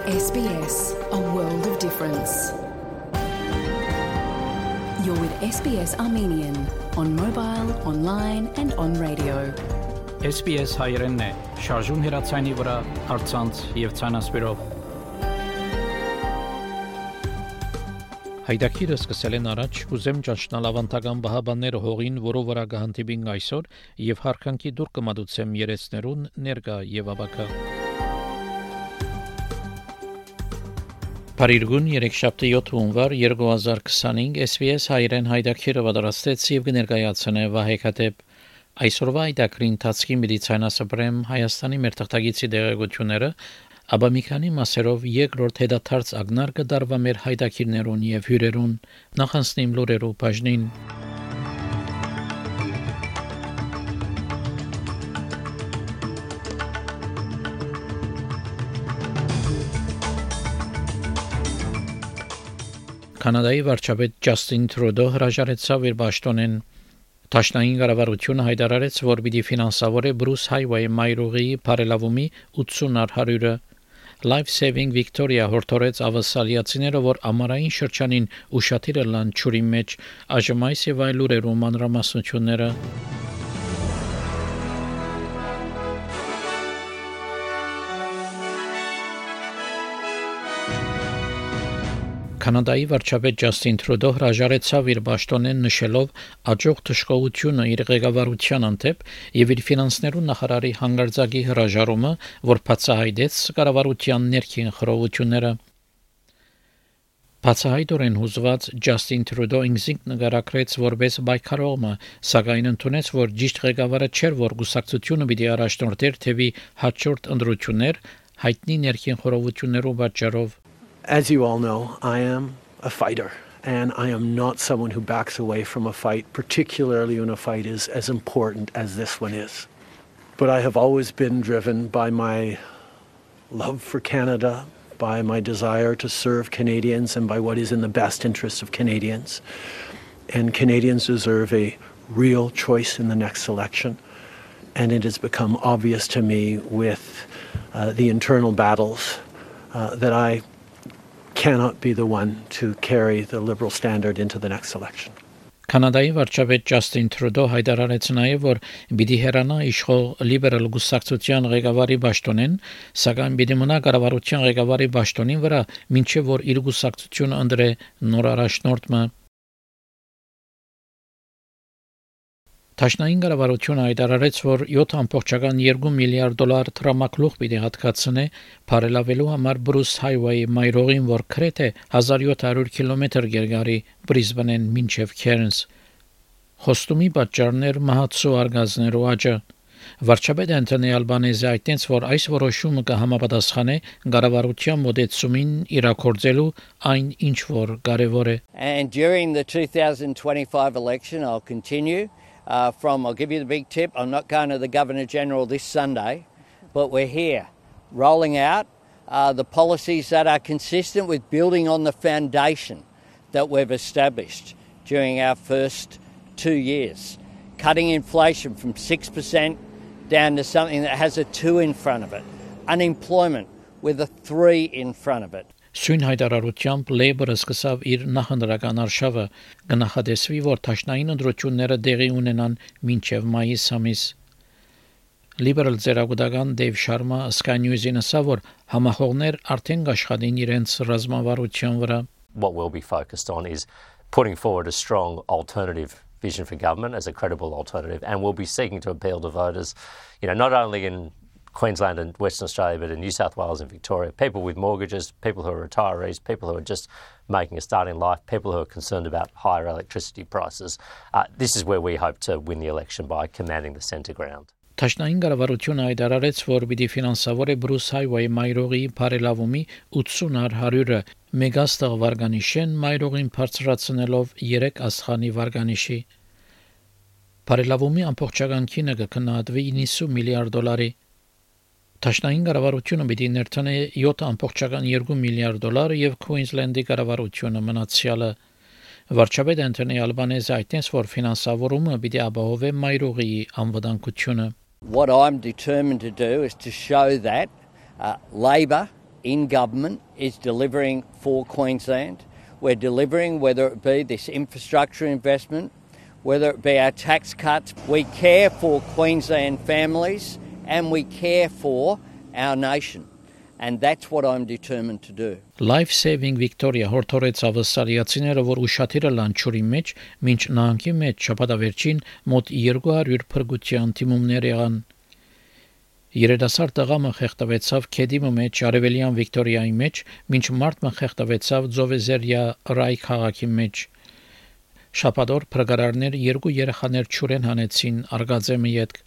SBS, a world of difference. You're with SBS Armenian on mobile, online and on radio. SBS հայերենն է, շարժուն հեռացայինի վրա, առցանց եւ ցանասպիրով։ Հայդակիրը սկսել են առաջ, ուզեմ ճաշնալ ավանդական բահաբանները հողին, որով վրա կհանդիպին այսօր եւ հարկանքի դուր կմատուցեմ երեցներուն ներկա եւ աբակա։ Փարիգուն 3-7 հունվար 2025 SBS հայերեն հայդակիրը պատրաստեց եւ կներկայացնե Վահեքաթեփ այսօրվա հայդակրի ընթացքի մեդիցինասպրեմ Հայաստանի մեր թղթագիտի դեղեցությունները, ապա մի քանի մասերով երկրորդ հետադարձ ակնար կդարվա մեր հայդակիրներուն եւ հյուրերուն նախանցնիմ լուրերու բաժնին։ Կանադայի վարչապետ Ջասթին Տրուդո հրաժարեցավ իր պաշտոնեն։ Դաշնային կառավարությունը հայտարարեց, որ պիտի ֆինանսավորի Բրուս Հայվեյ մայրուղի բարելավումի 80%-ը։ Life Saving Victoria հորդորեց ավասալիացիները, որ ամառային շրջանին ուշադիր լան ճուրի մեջ այժմայս եւ այլ լուրերու մանրամասնությունները։ Կանադայի վարչապետ Ջասթին Տրուդո հրաժարեցավ իր պաշտոնեն նշելով աջող թշկողությունը իր ղեկավարության անտեպ եւ իր ֆինանսներու նախարարի հանգարձակի հրաժարումը, որ բացահայտեց կառավարության ներքին խռովությունները։ Բացահայտորեն հուզված Ջասթին Տրուդո ինքնին նկարագրեց որպես պայքարողը, սակայն ընդունեց, որ ճիշտ ղեկավարը չէր, որ գուսակցությունը պիտի առաջնորդեր թեւի հաջորդ ընտրություններ հայտնի ներքին խռովություններու պատճառով։ As you all know, I am a fighter, and I am not someone who backs away from a fight, particularly when a fight is as important as this one is. But I have always been driven by my love for Canada, by my desire to serve Canadians, and by what is in the best interest of Canadians. And Canadians deserve a real choice in the next election. And it has become obvious to me with the internal battles that I cannot be the one to carry the Liberal standard into the next election. Կանադայի վարչապետ Ջասթին Տրուդո հայտարարեց նաև, որ պիտի հեռանա իշխող լիբերալ գուսակցության ղեկավարի պաշտոնեն, սակայն պիտի մնա կառավարության ղեկավարի պաշտոնին վրա, մինչև որ իր գուսակցությունը ընտրե նոր առաջնորդը։ Դաշնային կառավարությունը հայտարարեց, որ 7.2 միլիարդ դոլար տրամակլուղ պիտի հատկացնե բարելավելու համար Բրուս Հայվեյ մայրուղին, որ գրեթե 1700 կիլոմետր գերգարի Բրիզբենեն մինչև Քերնս։ Խոստումի պատճառներ մահացու արգազներու աճը։ Վարչապետ Անթոնի Ալբանեզը այդտենց, որ այս որոշումը կհամապատասխանե կառավարության մոդեցումին իրակորձելու այն ինչ որ կարևոր է։ And during the 2025 election I'll continue I'll give you the big tip, I'm not going to the Governor-General this Sunday, but we're here, rolling out the policies that are consistent with building on the foundation that we've established during our first 2 years, cutting inflation from 6% down to something that has a 2 in front of it, unemployment with a 3 in front of it. Սույն հայտարարությամբ Labour-ը սկսավ իր նախընտրական արշավը, կնախադեсվի, որ դաշնային ընտրությունները տեղի ունենան մինչև մայիս ամիս։ Liberal ծերագուտական Դեյվ Շարմա Sky News-ին ասավ, որ համախոհներ արդեն աշխատին իրենց ռազմավարության վրա։ What we'll be focused on is putting forward a strong alternative vision for government as a credible alternative, and we'll be seeking to appeal to voters, not only in Queensland and Western Australia, but in New South Wales and Victoria, people with mortgages, people who are retirees, people who are just making a start in life, people who are concerned about higher electricity prices. This is where we hope to win the election by commanding the centre ground. Դաշնային կառավարությունը հայտարարեց, որ պիտի ֆինանսավորի Բրուս Հայվեյ մայրուղի բարելավումի 80%-ը մեգաստղ վարգանիշեն մայրուղին բարձրացնելով 3 աստղանի վարգանիշի։ Բարելավումի ամբողջական քինը կքննադվի 90 միլիարդ դոլարի։ Դաշնային կառավարությունը պիտի ներդնի 7.2 միլիարդ դոլար եւ Քուինզլենդի կառավարությունը մնացյալը։ Վարչապետ Անթոնի Ալբանեզը այդտենց, որ ֆինանսավորումը պիտի ապահովի մայրուղի անվտանգությունը։ What I'm determined to do is to show that Labor in government is delivering for Queensland. We're delivering, whether it be this infrastructure investment, whether it be our tax cuts. We care for Queensland families and we care for our nation. And that's what I'm determined to do. Life Saving Victoria հորթորեց ավսալիացիները, որ ուշաթիրը լանչուրի մեջ, մինչ նահանգի մեջ շաբաթավերջին մոտ 200 փրկության թիմումներ եղան։ Երիտասարդ տղամը խեղդվեցավ Քեդիմի մեջ, Արևելյան Վիկտորիայի մեջ, մինչ մարդը խեղդվեցավ Ձովեզերիա Ռայ քաղաքի մեջ։ Շաբաթօր փրկարարներ 2 երեխաներ ճուրեն հանեցին Արգազեմի հետ։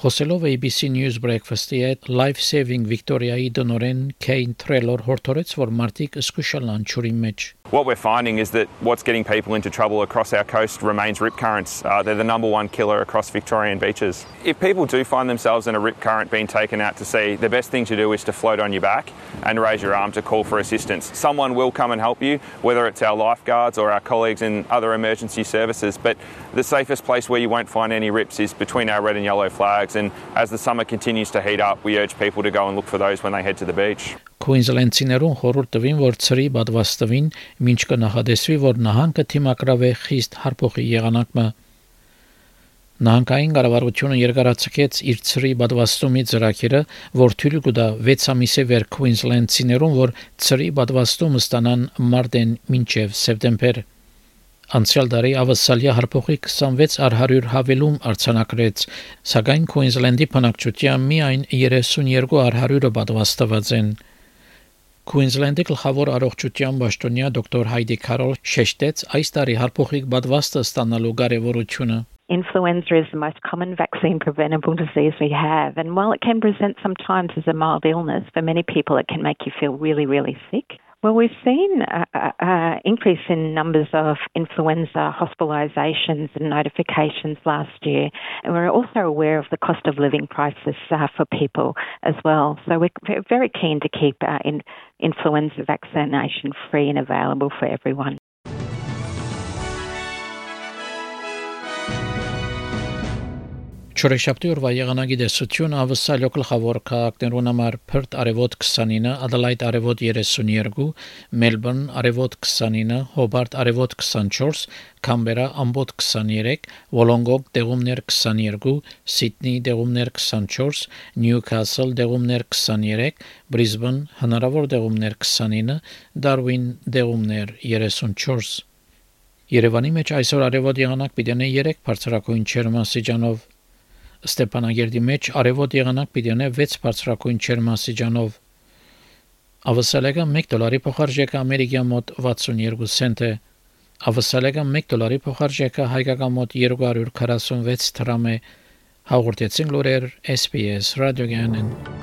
Խոսելով ABC News Breakfast-ի հետ Life Saving Victoria-ի դոնորեն Kane Trelor հորթորեց, որ մարդիկ զսկուշալ անչուրի մեջ։ What we're finding is that what's getting people into trouble across our coast remains rip currents. They're the number one killer across Victorian beaches. If people do find themselves in a rip current being taken out to sea, the best thing to do is to float on your back and raise your arm to call for assistance. Someone will come and help you, whether it's our lifeguards or our colleagues in other emergency services, but the safest place where you won't find any rips is between our red and yellow flags, and as the summer continues to heat up, we urge people to go and look for those when they head to the beach. Queensland-ցիներուն խորհուրդ տվին, որ ծրի պատվաստվին, մինչ կնախադեсվի, որ նահանգը թիմակրավե խիստ հարփոխի եղանակը։ Նահանգային կառավարությունը երկարացկեց իր ծրի պատվաստումի ծրագիրը, որ թույլ կտա 6 ամիսի վեր Queensland-ցիներուն, որ ծրի պատվաստումը ստանան մարտեն մինչև սեպտեմբեր։ Անցյալ տարի ավսալիա հարփոխի 26 առ 100 հավելում արձանագրեց, սակայն Queensland-ի բնակչության միայն 32 առ 100-ը պատվաստված են։ Queensland-ի գլխավոր առողջության պաշտոնյա դոկտոր Հայդի Քարոլ շեշտեց այս տարի հարփոխիկ պատվաստը ստանալու կարևորությունը։ Influenza is the most common vaccine preventable disease we have, and while it can present sometimes as a mild illness, for many people it can make you feel really, really sick. Well, we've seen an increase in numbers of influenza hospitalisations and notifications last year, and we're also aware of the cost of living crisis for people as well. So we're very keen to keep influenza vaccination free and available for everyone. Չորեքշաբթի օրվա եղանակի դեսություն ավսալյո գլխավոր քաղաքներուն համար Perth արևոտ 29, Adelaide արևոտ 32, Melbourne արևոտ 29, Hobart արևոտ 24, Canberra ամբոտ 23, Wollongong դեղումներ 22, Sydney դեղումներ 24, Newcastle դեղումներ 23, Brisbane հնարավոր դեղումներ 29, Darwin դեղումներ 34։ Երևանի մեջ այսօր արևոտ եղանակ պիտի 3 բարձրակույն ջերմաստիճանով Ստեփանագերդի մեջ արևոտ եղանակ պիտի 6 բարձրակույն ջերմաստիճանով։ Ավսալեգան $1 փոխարժեքը ամերիկյան մոտ 62 سنت է։ Ավսալեգան $1 փոխարժեքը հայկական մոտ 246 դրամ է։ Հաղորդեցին լուրեր SPS ռադիոգյանն։